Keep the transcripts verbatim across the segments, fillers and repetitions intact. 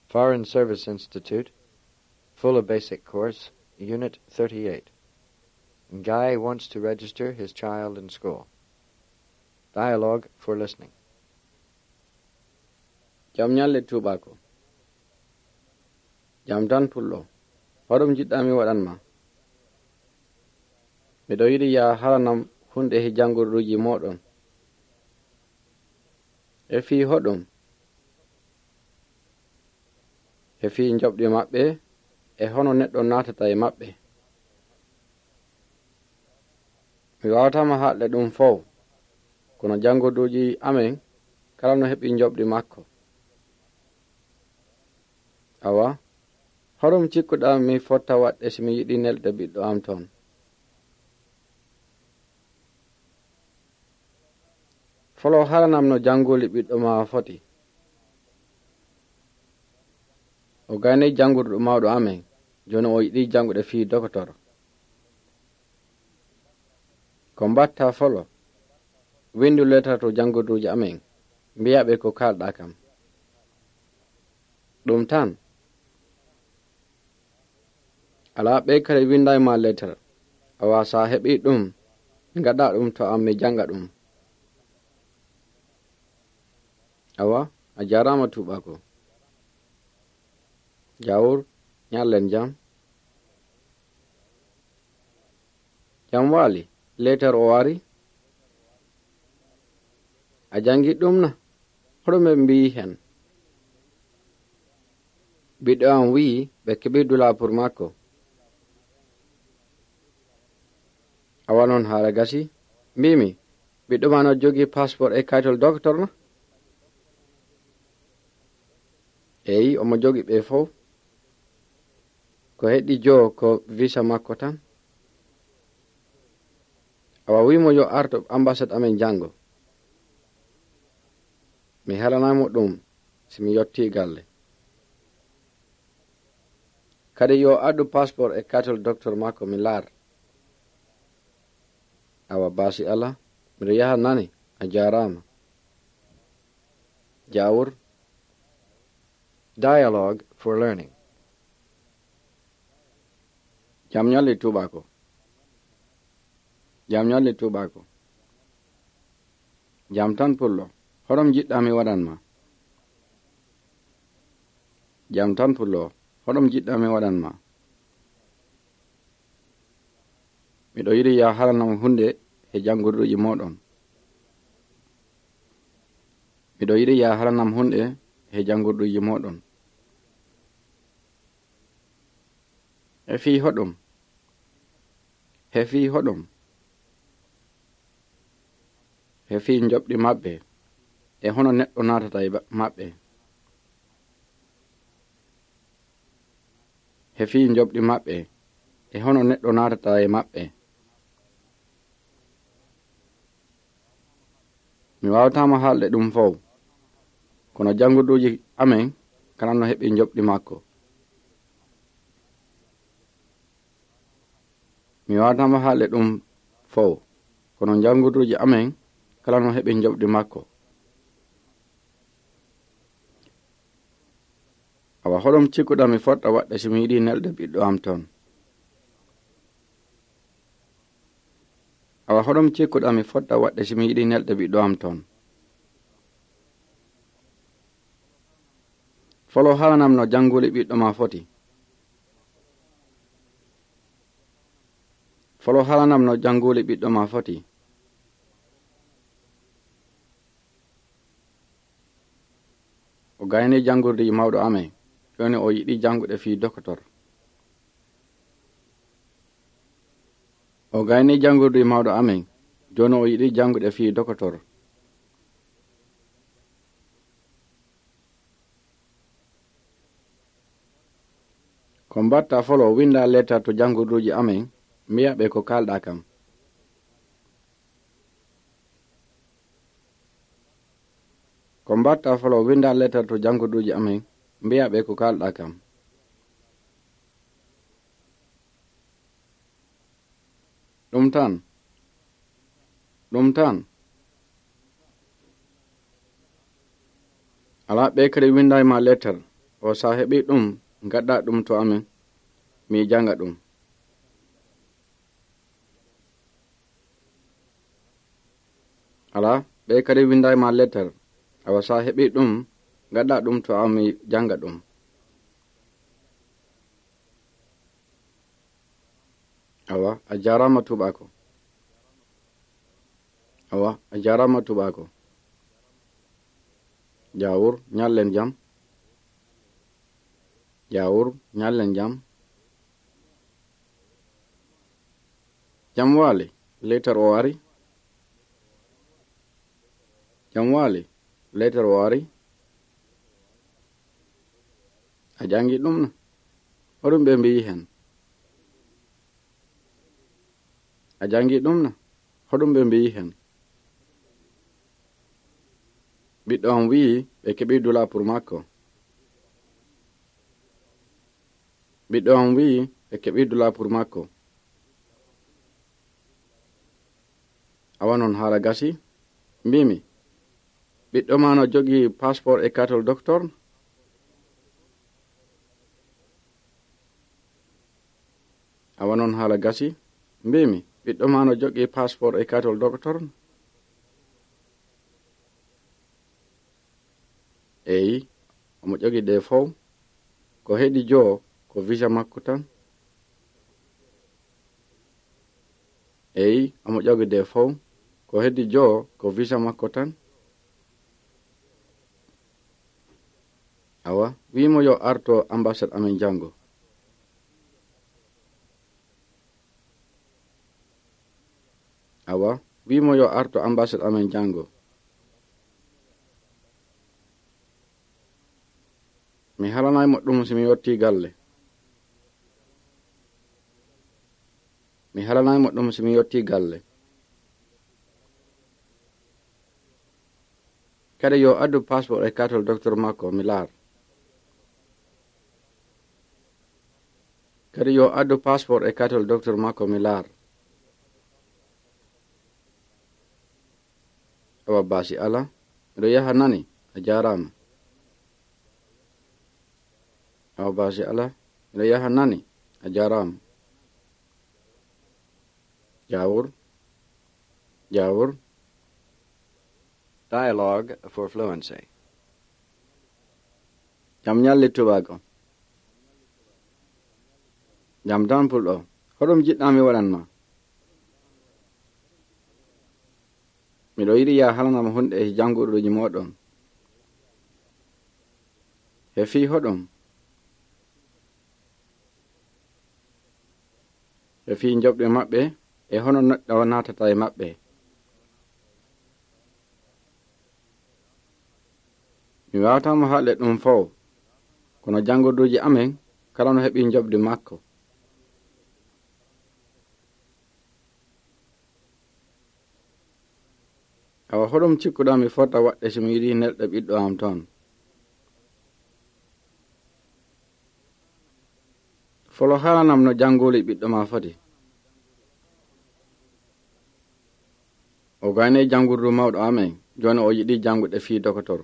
Foreign Service Institute, Fula Basic Course, Unit thirty-eight. Guy wants to register his child in school. Dialogue for listening. Jam ñalle tuubaako. Jam tan pullo. Hoɗum jiɗɗaa mi waɗan ma? Miɗo yiɗi yaa halanam hunde he janngorɗuuji mooɗon. E fii hoɗum? E fii njoɓdi maɓɓe, e hono neɗɗo naatata e maɓɓe. Mi waawataa ma haalde ɗum fow, kono janngorɗuuji amen kala no heɓi njoɓdi makko. Awa, hoɗum cikkuɗaa mi fotta waɗde si mi yiɗi nelɗe ɓiɗɗo am toon? Folo haalanam no jannguli ɓiɗɗo maa foti. O gaynii janngordu mawɗo amen, jooni o yiɗi janngude fii dokotor. Ko mbaɗtaa folo? Winndu leetar to janngorduuji amen, mbiyaa ɓe ko kaalɗaa kam. Ɗum tan. Alaa ɓe kadi winndaay ma leetar. Awa so a heɓii ɗum, ngaɗaa ɗum to am mi jannga ɗum. Awa, a jaaraama tuubaako. Jaawur, ñallen jam. Jam waali, leetar o ari. A janngi ɗum na? Hoɗo ɓe mbiyi hen? Ɓiɗɗo am wiyi ɓe keɓi dula pour makko. Awa non haala gasi, mbimi, ɓiɗɗo ma no jogii passeport e kayitol docteur na? Eyi, omo jogii ɓe fow. Ko heddii joo ko visa makko tan. Awa wiimo yo arto ambassade amen janngo. Mi haalanay mo ɗum si mi yottii galle. Kadi yo addu passeport e kayitol docteur makko mi laar. Awa baasi Alla, miɗo yaha nani, a jaaraama. Jaawur. Dialogue for learning. Jam ñalle tuubaako. Jam ñalle tuubaako. Jam tan pullo. Hoɗum jiɗɗaa mi waɗan ma? Jam tan pullo. Hoɗum jiɗɗaa mi waɗan ma? Miɗo yiɗi yaa halanam hunde he janngorduuji mooɗon. Miɗo yiɗi yaa halanam hunde he janngorduuji mooɗon. E fii hoɗum? He fii hoɗum? He fii njoɓdi maɓɓe, e hono neɗɗo naatata e ba-, maɓɓe. He fii njoɓdi maɓɓe, e hono neɗɗo naatata e maɓɓe. Mi waawataa ma haalde ɗum fow, kono janngorduuji amen kala no heɓi njoɓdi makko. Mi waawataa ma haalde ɗum fow, kono janngorduuji amen kala no heɓi njoɓdi makko. Awa hoɗum cikkuɗaa mi fota waɗde si mi yiɗi nelɗe ɓiɗɗo am toon? Awa hoɗum cikkuɗaa mi fota waɗde si mi yiɗi nelɗe ɓiɗɗo am toon? Folo haalanam no jannguli ɓiɗɗo maa foti. Folo haalanam no jannguli ɓiɗɗo maa foti. O gaynii janngorduuji mawɗo amen, jooni o yiɗi janngude fii dokotor. O gaynii janngorduuji mawɗo amen, jooni o yiɗi janngude fii dokotor. Ko mbaɗtaa folo, winndaa leetar to janngorduuji amen, mbiyaa ɓe ko kaalɗaa kam. Ko mbaɗtaa folo, winndaa leetar to janngorduuji amen, mbiyaa ɓe ko kaalɗaa kam. Ɗum tan. Ɗum tan. Alaa ɓe kadi winndaay ma leetar. O, si a heɓii ɗum, ngaddaa ɗum to amen, mi jannga ɗum. Alaa, ɓee kadi winndaay ma letter. Awa, si a heɓii ɗum, ngaddaa ɗum to am, mi jannga ɗum. Awa, a jaaraama tuubaako. Awa, a jaaraama tuubaako. Jaawur, ñallen jam. Jaawur, ñallen jam. Jam waali, letter o ari. Jam waali, letter o ari. A janngi ɗum na? Hoɗum ɓe mbiyi hen? A janngi ɗum na? Hoɗum ɓe mbiyi hen? Ɓiɗɗo am wi'i ɓe keɓi dula pour makko. Ɓiɗɗo am wi'i ɓe keɓi dula pour makko. Awa non haala gasi. Mbimi, ɓiɗɗo ma no jogii passeport e katol docteur? Awa non haala gasi. Mbimi, ɓiɗɗo ma no jogii passeport e katol docteur? Eyi, omo jogii ɗe fow. Ko heddii joo ko visa makko tan. Eyi, omo jogii ɗe fow. Ko heddii joo ko visa makko tan. Awa, wi'i mo yo arto ambassade amen janngo. Awa, wi'i mo yo arto ambassade amen janngo. Mi haalanaay mo ɗum si mi yottii galle. Mi haalanaay mo ɗum si mi yottii galle. Kadi yo addu passeport e katol docteur makko mi laar. Kadi yo addu passeport e katol docteur makko mi laar. Awa baasi alaa, miɗo yaha nani, a jaaraama. Awa baasi alaa, miɗo yaha nani, a jaaraama. Jaawur, jaawur. Dialogue for fluency. Jam ñalli tubaako. Jam tan pulɗo. Hoɗum jiɗɗaa mi waɗan ma? Miɗo yiɗi yaa haalanam huunde e jannguruuji mooɗon. He fii hoɗum? E fii njoɓdi maɓɓe e hono neɗɗo naatata e maɓɓe. Mi waawataa mo haalde ɗum fow, kono jannguruuji amen kala no heɓi njoɓdi makko. Awa hoɗum cikkuɗaa mi fota waɗde si mi yiɗi nelɗe ɓiɗɗo am toon? Folo haalanam no jannguli ɓiɗɗo maa foti. O gaynii janngurdu mawɗo amen, jooni o yiɗi janngude fii dokotor.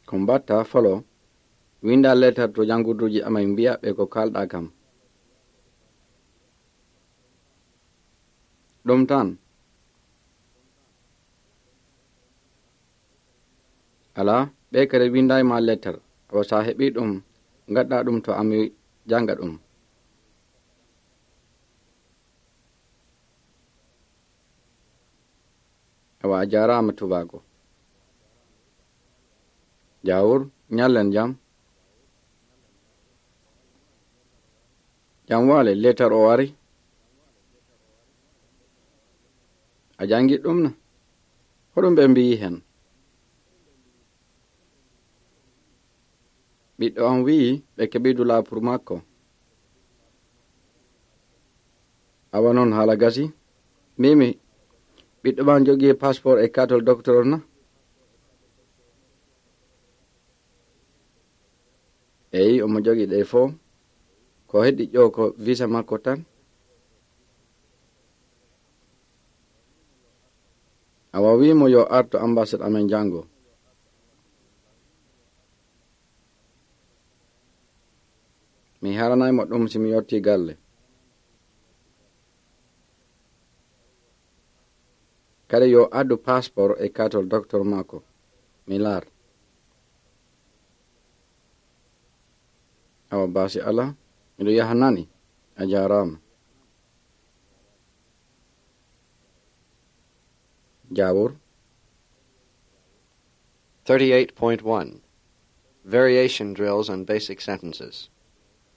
Ko mbatta folo, winnda leetar to janngurduuji amen mbi'a ɓe ko kaalɗaa kam. Ɗum tan. Alaa, ɓee kadi winndaay ma leetar, awa si a heɓii ɗum, ngaddaa ɗum to ami jannga ɗum. Awa a jaaraama tubaaku. Jaawur, ñallen jam. Jam waale, leetar o ari. A janngi ɗum na? Hoɗum ɓe mbiyi hen? Ɓiɗɗo am wi'i ɓe keɓi dula pour makko. Awa non haala gasi. Mimi, ɓiɗɗo ma jogii passeport e kaatol docteur na? Eyi, omo jogii ɗe fow. Ko heddii ƴoo ko visa makko tan. Awa, wii mo yo artu ambassade amen janngo. Mi haalanay mo ɗum si mi yottii galle. Kadi yo addu passeport e kaartol doktor makko. Mi laar. Awa, baasi alaa, miɗo yaha nani. A jaaraama. Jaawor. Thirty-eight point one. Variation drills and basic sentences.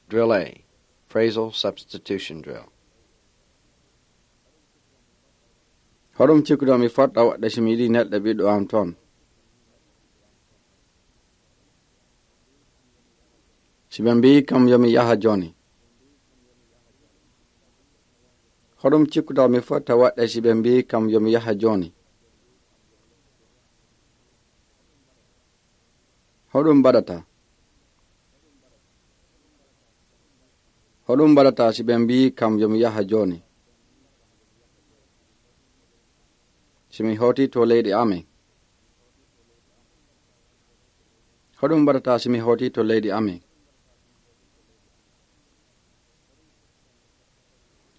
Drill A. Phrasal substitution drill. Hoɗum cikkuɗaa mi fota waɗde si mi yiɗi nelɗe ɓiɗɗo am toon? Si ɓe mbiyi kam yo mi yaha jooni. Hoɗum cikkuɗaa mi fota waɗde si ɓe mbiyi kam yo mi yaha jooni? Hoɗum mbaɗataa? Hoɗum mbaɗataa si ɓe mbiyi kam yo mi yaha jooni? Si mi hootii to leydi amen. Hoɗum mbaɗataa si mi hootii to leydi amen?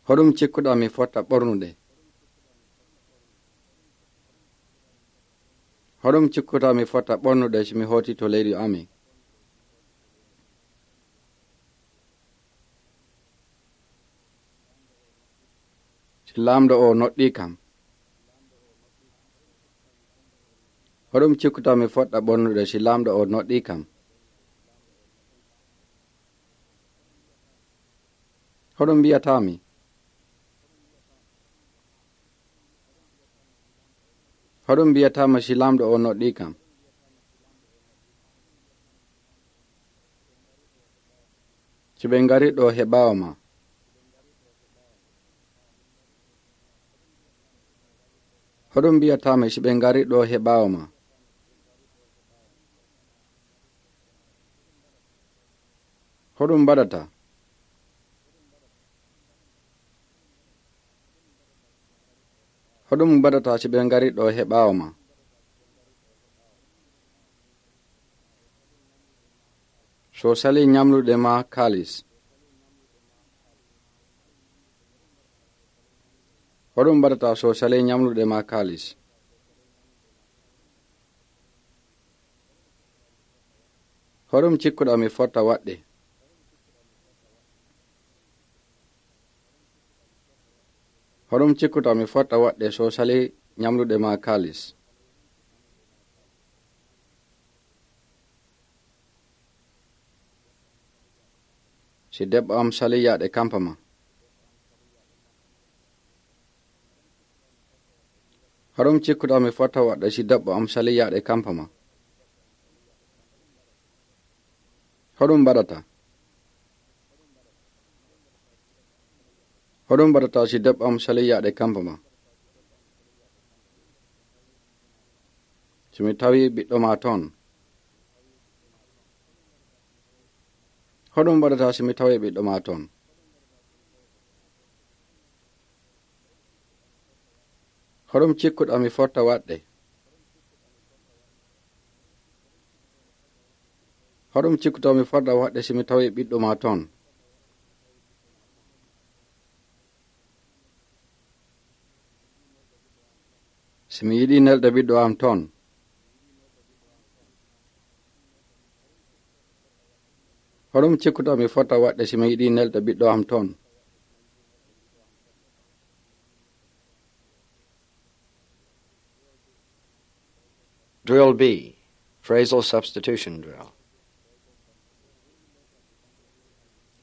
Hoɗum cikkuɗaa mi fota ɓornude? Hoɗum cikkuɗaa mi fota ɓornude si mi hootii to leydi amen? Si laamɗo o noɗɗii kam. Hoɗum cikkuɗaa mi fota ɓornude si laamɗo o noɗɗii kam? Hoɗum mbiyataa mi? Hoɗum mbiyataa ma si laamɗo o noɗɗii kam? Si ɓe ngari ɗo he ɓaawo ma. Hoɗum mbiyataa ma si ɓe ngari ɗo he ɓaawo ma? Hoɗum mbaɗataa? Hoɗum mbaɗataa si ɓe ngari ɗo he ɓaawo ma? So salii ñamlude ma kaalis. Hoɗum mbaɗataa so salii ñamlude ma kaalis? Hoɗum cikkuɗaa mi fota waɗde? Hoɗum cikkuɗaa mi fota waɗde so salii ñamlude ma kaalis? Si debbo am salii yaade kampa ma. Hoɗum cikkuɗaa mi fota waɗde si debbo am salii yaade kampa ma? Hoɗum mbaɗataa? Hoɗum mbaɗataa si debbo am salii yaade kampa ma? Si mi tawi ɓiɗɗo ma toon. Hoɗum mbaɗataa si mi tawi ɓiɗɗo ma toon? Hoɗum cikkuɗaa mi fota waɗde? Hoɗum cikkuɗaa mi fota waɗde si mi tawi ɓiɗɗo ma toon? Si mi yiɗi nelɗe ɓiɗɗo am toon. Hoɗum cikkuɗaa mi fota waɗde si mi yiɗi nelɗe ɓiɗɗo am toon? Drill B, phrasal substitution drill.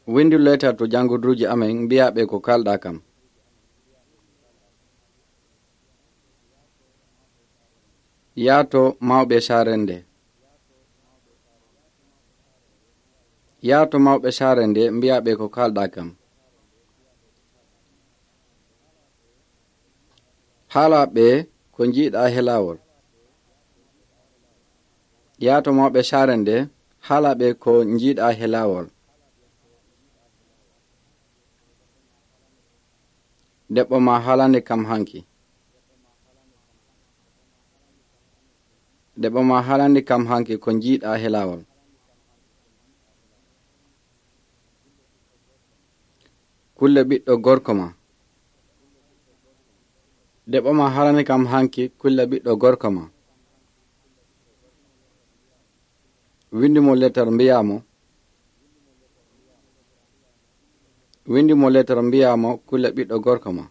Windu leetar to janngirduuji amen, mbiyaa ɓe ko kaalɗaa kam. Yaa to mawɓe saare nde. Yaa to mawɓe saare nde, mbiyaa ɓe ko kaalɗaa kam. Haalaa ɓe ko njiiɗaa he laawol. Yaa to mawɓe saare nde, haalaa ɓe ko njiiɗaa he laawol. Debbo ma haalani kam hanki. Debbo maa haalani kam hanki ko njiiɗaa he laawol. Kulle ɓiɗɗo gorko maa. Debbo maa haalani kam hanki kulle ɓiɗɗo gorko maa. Winndi mo letter mbiyaa mo. Winndi mo letter mbiyaa mo kulle ɓiɗɗo gorko maa.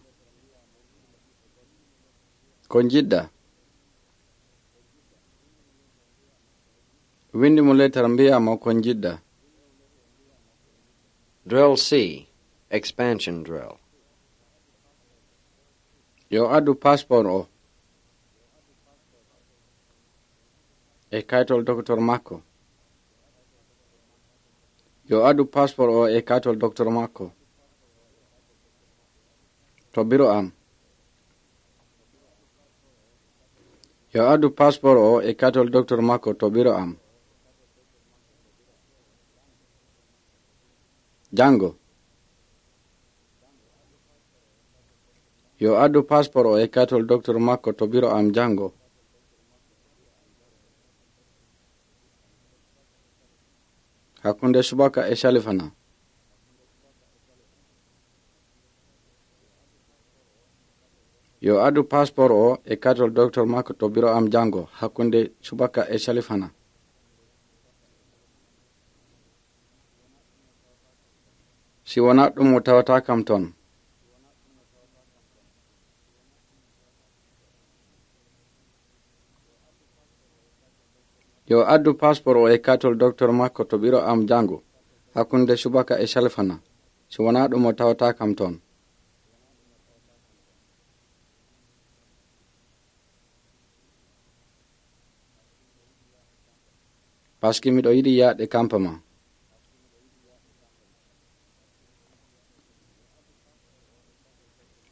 Ko njiɗɗaa. Winndi mo letter mbiyaa mo ko njiɗɗaa. Drill C, expansion drill. Yo addu passeport o e kaytol doctor makko. Yo addu passeport o e kaytol doctor makko. To biro am. Yo addu passeport o e kaytol doctor makko to biro am. Janngo. Yo addu passeport o e kaytol doctor makko to biro am janngo. Hakkunde subaka e salifana. Yo addu passeport o e kaytol doctor makko to biro am janngo hakkunde subaka e salifana. Si wonaa ɗum o tawata kam ton. Yo addu passeport o e kaytol doctor makko to biro am janngo hakkunde subaka e salifana. Si wonaa ɗum o tawata kam ton. Paski miɗo yiɗi yaade kampa ma.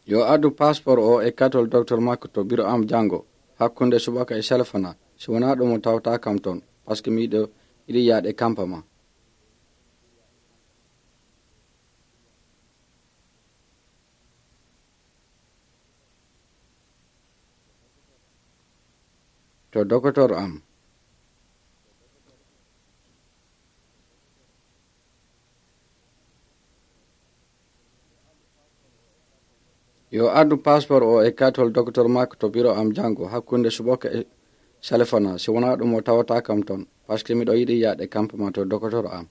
Yo addu passeport o e katol doctor makko to biro am janngo hakkunde subaka e salifana. Si wonaa ɗum o tawata kam ton paski miɗo yiɗi yaade kampa ma. To dokotor am. Yo addu passeport o e katol dokotor makko to biro am janngo hakkunde subaka e salifana si wonaa ɗum o tawata kam ton paski miɗo yiɗi yaade kampa ma to dokotor am.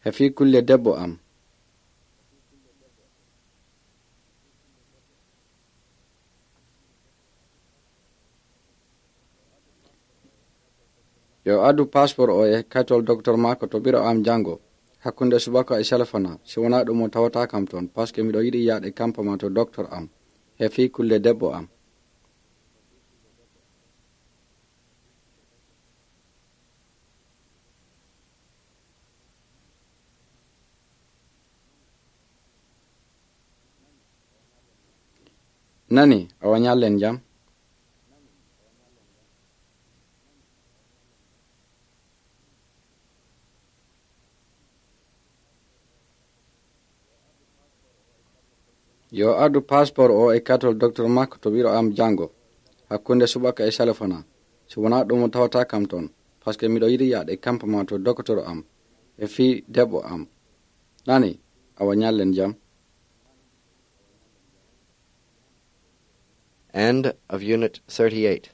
He fii kulle debbo am. Yo addu passeport o e katol doctor makko to biro am janngo hakkunde subaka e salifana si wonaa ɗum o tawata kam ton paski miɗo yiɗi yaade kampa ma to doctor am. He fii kulle debbo am. Nani awa ñallen jam. Yo addu passeport o e katol doctor makko to biro am janngo hakkunde subaka e salifana si wonaa ɗum o tawata kam ton paski miɗo yiɗi yaade kampa ma to dokotor am e fii debbo am. Nani awa ñallen jam. End of Unit thirty-eight.